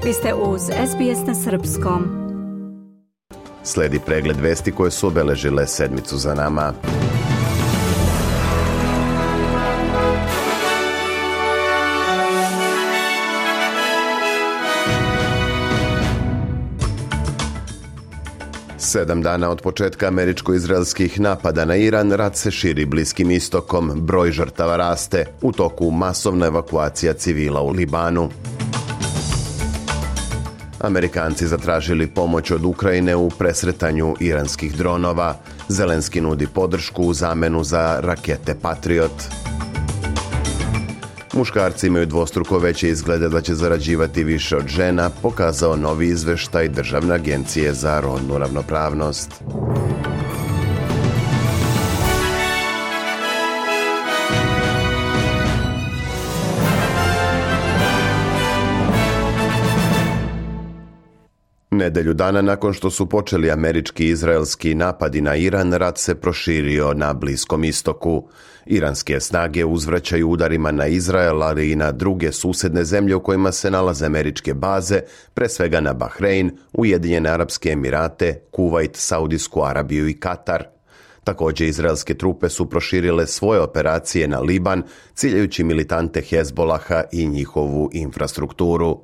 Vi ste uz SBS na srpskom. Slijedi pregled vesti koje su obeležile sedmicu za nama. Sedam dana od početka američko-izraelskih napada na Iran, rat se širi Bliskim istokom, broj žrtava raste, u toku masovna evakuacija civila u Libanu. Amerikanci zatražili pomoć od Ukrajine u presretanju iranskih dronova. Zelenski nudi podršku u zamenu za rakete Patriot. Muškarci imaju dvostruko veće izglede da će zarađivati više od žena, pokazao novi izveštaj Državne agencije za rodnu ravnopravnost. Nedelju dana nakon što su počeli američki i izraelski napadi na Iran, rat se proširio na Bliskom istoku. Iranske snage uzvraćaju udarima na Izrael, ali i na druge susjedne zemlje u kojima se nalaze američke baze, pre svega na Bahrein, Ujedinjene Arapske Emirate, Kuvajt, Saudijsku Arabiju i Katar. Također, izraelske trupe su proširile svoje operacije na Liban, ciljajući militante Hezbolaha i njihovu infrastrukturu.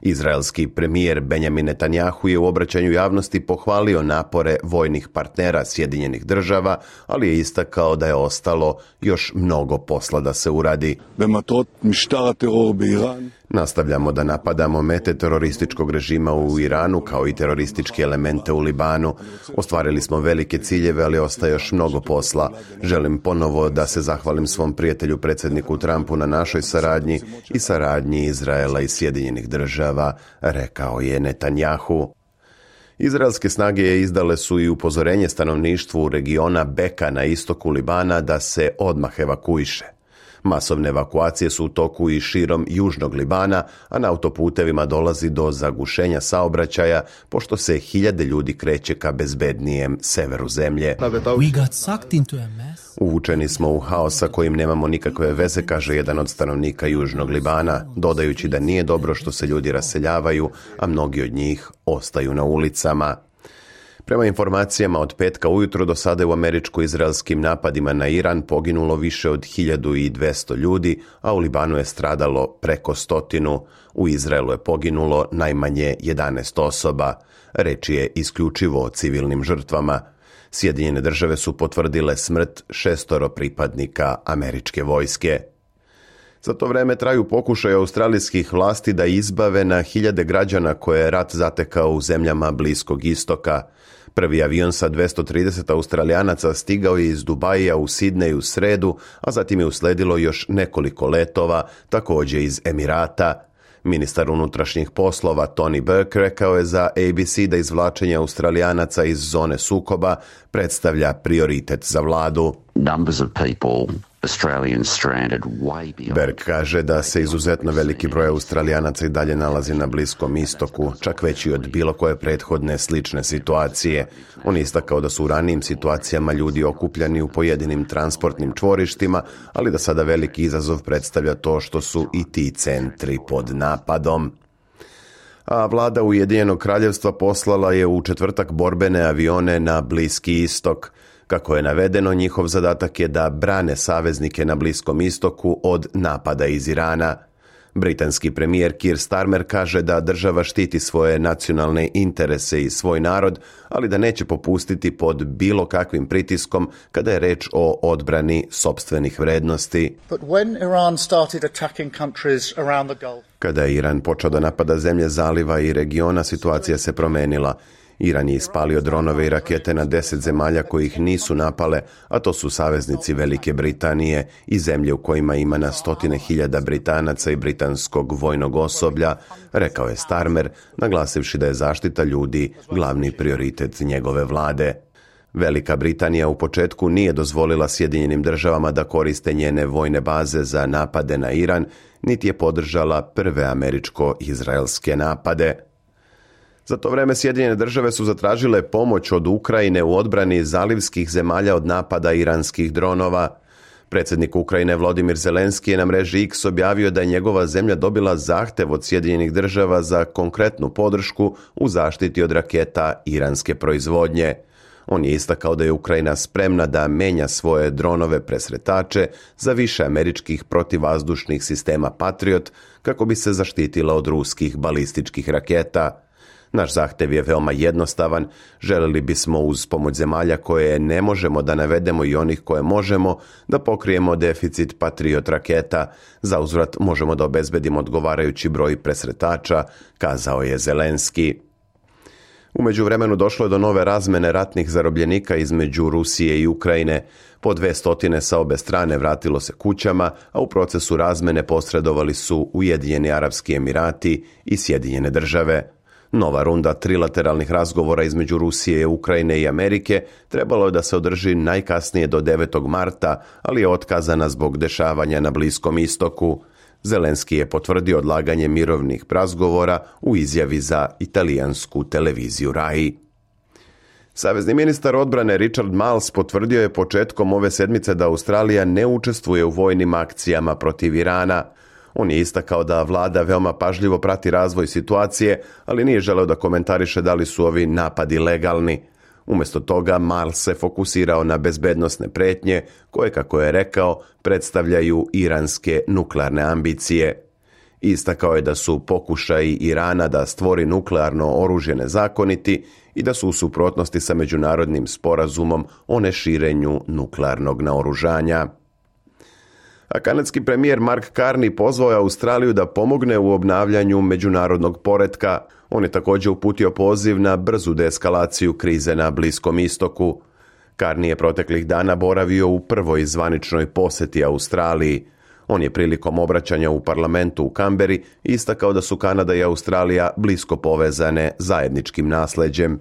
Izraelski premijer Benjamin Netanjahu je u obraćanju javnosti pohvalio napore vojnih partnera Sjedinjenih država, ali je istakao da je ostalo još mnogo posla da se uradi. Nastavljamo da napadamo mete terorističkog režima u Iranu kao i terorističke elemente u Libanu. Ostvarili smo velike ciljeve, ali ostaje još mnogo posla. Želim ponovo da se zahvalim svom prijatelju predsjedniku Trumpu na našoj saradnji i saradnji Izraela i Sjedinjenih država, rekao je Netanjahu. Izraelske snage izdale su i upozorenje stanovništvu regiona Beka na istoku Libana da se odmah evakuiše. Masovne evakuacije su u toku i širom južnog Libana, a na autoputevima dolazi do zagušenja saobraćaja, pošto se hiljade ljudi kreće ka bezbednijem severu zemlje. Uvučeni smo u haos sa kojim nemamo nikakve veze, kaže jedan od stanovnika južnog Libana, dodajući da nije dobro što se ljudi raseljavaju, a mnogi od njih ostaju na ulicama. Prema informacijama od petka ujutro do sada je u američko-izraelskim napadima na Iran poginulo više od 1200 ljudi, a u Libanu je stradalo preko 100. U Izraelu je poginulo najmanje 11 osoba. Reč je isključivo o civilnim žrtvama. Sjedinjene države su potvrdile smrt 6 pripadnika američke vojske. Za to vreme traju pokušaj australijskih vlasti da izbave na hiljade građana koje je rat zatekao u zemljama Bliskog istoka. Prvi avion sa 230 Australijanaca stigao je iz Dubaija u Sidneju u sredu, a zatim je usledilo još nekoliko letova, također iz Emirata. Ministar unutrašnjih poslova Tony Burke rekao je za ABC da izvlačenje Australijanaca iz zone sukoba predstavlja prioritet za vladu. Berg kaže da se izuzetno veliki broj Australijanaca i dalje nalazi na Bliskom istoku, čak veći od bilo koje prethodne slične situacije. On je istakao da su u ranijim situacijama ljudi okupljani u pojedinim transportnim čvorištima, ali da sada veliki izazov predstavlja to što su i ti centri pod napadom. A vlada Ujedinjenog kraljevstva poslala je u četvrtak borbene avione na Bliski istok. Kako je navedeno, njihov zadatak je da brane saveznike na Bliskom istoku od napada iz Irana. Britanski premijer Keir Starmer kaže da država štiti svoje nacionalne interese i svoj narod, ali da neće popustiti pod bilo kakvim pritiskom kada je reč o odbrani sopstvenih vrednosti. Kada je Iran počeo da napada zemlje zaliva i regiona, situacija se promenila. Iran je ispalio dronove i rakete na 10 zemalja kojih nisu napale, a to su saveznici Velike Britanije i zemlje u kojima ima na 100.000 Britanaca i britanskog vojnog osoblja, rekao je Starmer, naglasivši da je zaštita ljudi glavni prioritet njegove vlade. Velika Britanija u početku nije dozvolila Sjedinjenim državama da koriste njene vojne baze za napade na Iran, niti je podržala prve američko-izraelske napade. Za to vreme Sjedinjene države su zatražile pomoć od Ukrajine u odbrani zalivskih zemalja od napada iranskih dronova. Predsjednik Ukrajine Volodymyr Zelenski je na mreži X objavio da je njegova zemlja dobila zahtjev od Sjedinjenih država za konkretnu podršku u zaštiti od raketa iranske proizvodnje. On je istakao da je Ukrajina spremna da menja svoje dronove presretače za više američkih protivvazdušnih sistema Patriot kako bi se zaštitila od ruskih balističkih raketa. Naš zahtjev je veoma jednostavan. Željeli bismo uz pomoć zemalja koje ne možemo da navedemo i onih koje možemo da pokrijemo deficit Patriot raketa. Za uzvrat možemo da obezbedimo odgovarajući broj presretača, kazao je Zelenski. U međuvremenu došlo je do nove razmene ratnih zarobljenika između Rusije i Ukrajine. Po 200 sa obe strane vratilo se kućama, a u procesu razmene posredovali su Ujedinjeni Arapski Emirati i Sjedinjene države. Nova runda trilateralnih razgovora između Rusije, Ukrajine i Amerike trebalo je da se održi najkasnije do 9. marta, ali je otkazana zbog dešavanja na Bliskom istoku. Zelenski je potvrdio odlaganje mirovnih razgovora u izjavi za italijansku televiziju RAI. Savezni ministar odbrane Richard Marles potvrdio je početkom ove sedmice da Australija ne učestvuje u vojnim akcijama protiv Irana. On je istakao da vlada veoma pažljivo prati razvoj situacije, ali nije želeo da komentariše da li su ovi napadi legalni. Umjesto toga, Marles se fokusirao na bezbednosne pretnje koje, kako je rekao, predstavljaju iranske nuklearne ambicije. Istakao je da su pokušaji Irana da stvori nuklearno oružje nezakoniti i da su u suprotnosti sa međunarodnim sporazumom o neširenju nuklearnog naoružanja. A kanadski premijer Mark Carney pozvao je Australiju da pomogne u obnavljanju međunarodnog poretka. On je također uputio poziv na brzu deeskalaciju krize na Bliskom istoku. Carney je proteklih dana boravio u prvoj zvaničnoj posjeti Australiji. On je prilikom obraćanja u parlamentu u Kamberi istakao da su Kanada i Australija blisko povezane zajedničkim nasleđem.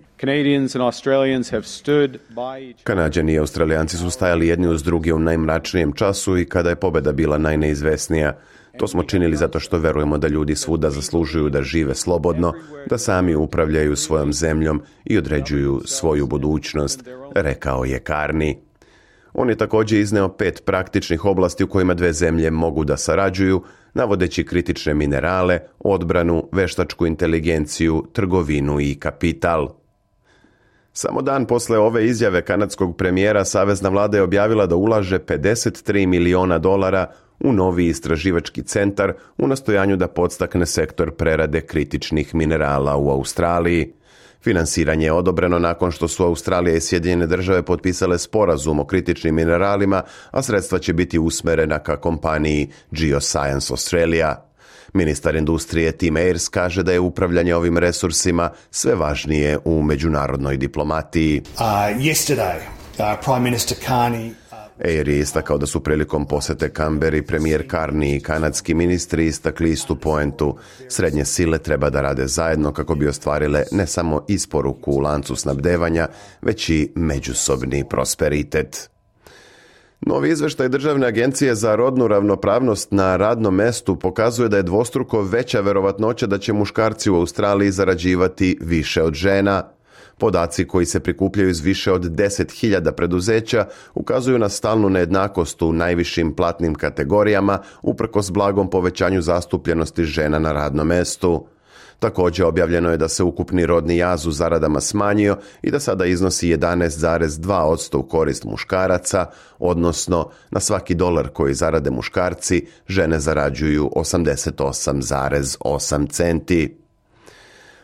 Kanađani i Australijanci su stajali jedni uz druge u najmračnijem času i kada je pobjeda bila najneizvesnija. To smo činili zato što verujemo da ljudi svuda zaslužuju da žive slobodno, da sami upravljaju svojom zemljom i određuju svoju budućnost, rekao je Carney. On je također izneo 5 praktičnih oblasti u kojima dve zemlje mogu da sarađuju, navodeći kritične minerale, odbranu, veštačku inteligenciju, trgovinu i kapital. Samo dan posle ove izjave kanadskog premijera, savezna vlada je objavila da ulaže $53 miliona u novi istraživački centar u nastojanju da podstakne sektor prerade kritičnih minerala u Australiji. Finansiranje je odobreno nakon što su Australija i Sjedinjene države potpisale sporazum o kritičnim mineralima, a sredstva će biti usmerena ka kompaniji Geoscience Australia. Ministar industrije Tim Ayres kaže da je upravljanje ovim resursima sve važnije u međunarodnoj diplomatiji. Prime Minister Carney Ayer je istakao da su prilikom posete Kamberi premijer Carney i kanadski ministri istakli istu poentu. Srednje sile treba da rade zajedno kako bi ostvarile ne samo isporuku u lancu snabdevanja, već i međusobni prosperitet. Novi izveštaj Državne agencije za rodnu ravnopravnost na radnom mestu pokazuje da je dvostruko veća verovatnoća da će muškarci u Australiji zarađivati više od žena. Podaci koji se prikupljaju iz više od 10.000 preduzeća ukazuju na stalnu nejednakost u najvišim platnim kategorijama uprkos blagom povećanju zastupljenosti žena na radnom mestu. Također objavljeno je da se ukupni rodni jaz u zaradama smanjio i da sada iznosi 11,2% u korist muškaraca, odnosno na svaki dolar koji zarade muškarci, žene zarađuju 88,8 centi.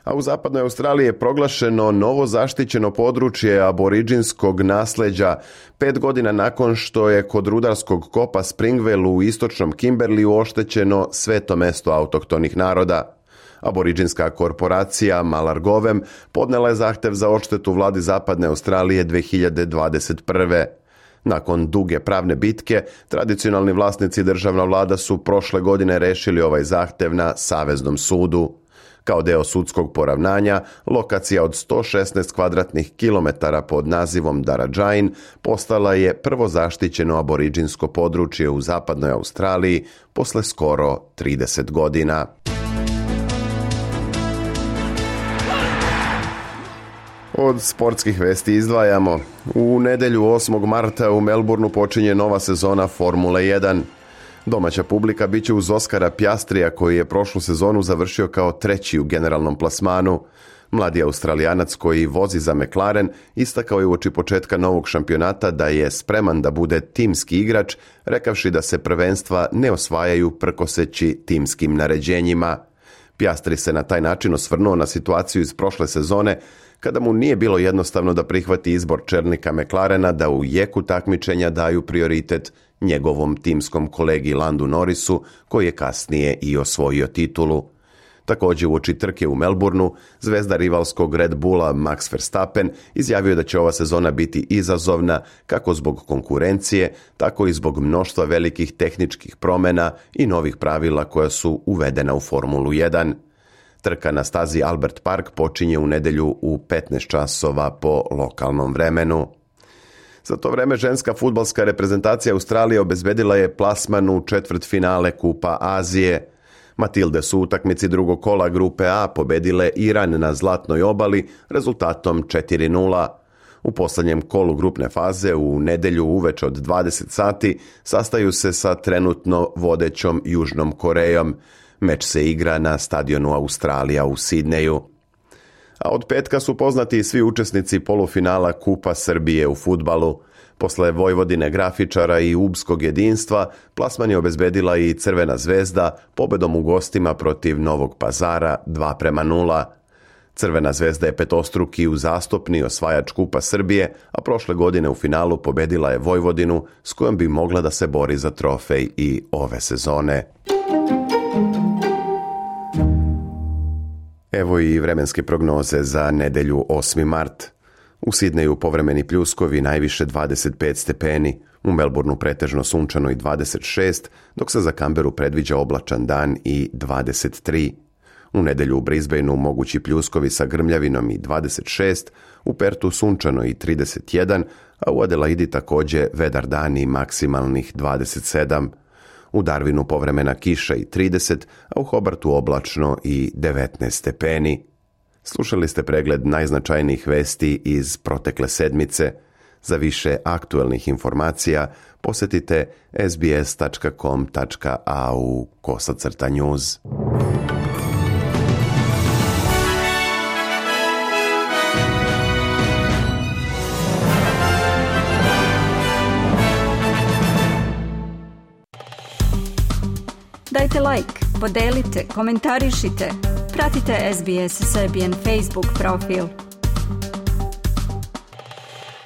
A u zapadnoj Australiji je proglašeno novo zaštićeno područje aboriđinskog nasleđa 5 godina nakon što je kod rudarskog kopa Springvale u istočnom Kimberleyu oštećeno sveto mesto autohtonih naroda. Aboriđinska korporacija Malargovem podnela je zahtev za odštetu vladi zapadne Australije 2021. Nakon duge pravne bitke, tradicionalni vlasnici državna vlada su prošle godine rešili ovaj zahtev na Saveznom sudu. Kao deo sudskog poravnanja, lokacija od 116 kvadratnih kilometara pod nazivom Darajin postala je prvo zaštićeno aboriđinsko područje u zapadnoj Australiji posle skoro 30 godina. Od sportskih vesti izdvajamo. U nedjelju 8. marta u Melbourneu počinje nova sezona Formule 1. Domaća publika bit će uz Oskara Piastrija koji je prošlu sezonu završio kao treći u generalnom plasmanu. Mladi Australijanac koji vozi za McLaren istakao je uoči početka novog šampionata da je spreman da bude timski igrač, rekavši da se prvenstva ne osvajaju prkoseći timskim naređenjima. Piastri se na taj način osvrnuo na situaciju iz prošle sezone kada mu nije bilo jednostavno da prihvati izbor čelnika McLarena da u jeku takmičenja daju prioritet njegovom timskom kolegi Landu Norrisu, koji je kasnije i osvojio titulu. Također uoči trke u Melbourneu, zvezda rivalskog Red Bulla Max Verstappen izjavio da će ova sezona biti izazovna kako zbog konkurencije, tako i zbog mnoštva velikih tehničkih promjena i novih pravila koja su uvedena u Formulu 1. Trka na stazi Albert Park počinje u nedjelju u 15 časova po lokalnom vremenu. Za to vrijeme ženska fudbalska reprezentacija Australije obezbedila je plasman u četvrtfinale Kupa Azije. Matilde su u utakmici drugog kola grupe A pobedile Iran na Zlatnoj obali rezultatom 4:0. U posljednjem kolu grupne faze u nedjelju uveče od 20 sati sastaju se sa trenutno vodećom Južnom Korejom. Meč se igra na stadionu Australija u Sidneju. A od petka su poznati svi učesnici polufinala Kupa Srbije u fudbalu. Posle Vojvodine grafičara i Ubskog jedinstva, plasman je obezbedila i Crvena zvezda pobedom u gostima protiv Novog Pazara 2:0. Crvena zvezda je petostruki uzastopni osvajač Kupa Srbije, a prošle godine u finalu pobedila je Vojvodinu s kojom bi mogla da se bori za trofej i ove sezone. Evo i vremenske prognoze za nedjelju 8. mart. U Sidneju povremeni pljuskovi, najviše 25 stepeni, u Melbourneu pretežno sunčano i 26, dok se za Canberru predviđa oblačan dan i 23. U nedjelju u Brisbaneu mogući pljuskovi sa grmljavinom i 26, u Pertu sunčano i 31, a u Adelaidi također vedar dan i maksimalnih 27. U Darwinu povremena kiša i 30, a u Hobartu oblačno i 19 stepeni. Slušali ste pregled najznačajnijih vesti iz protekle sedmice. Za više aktualnih informacija posjetite sbs.com.au/news. Dajte like, podelite, komentarišite. Pratite SBS Serbian Facebook profil.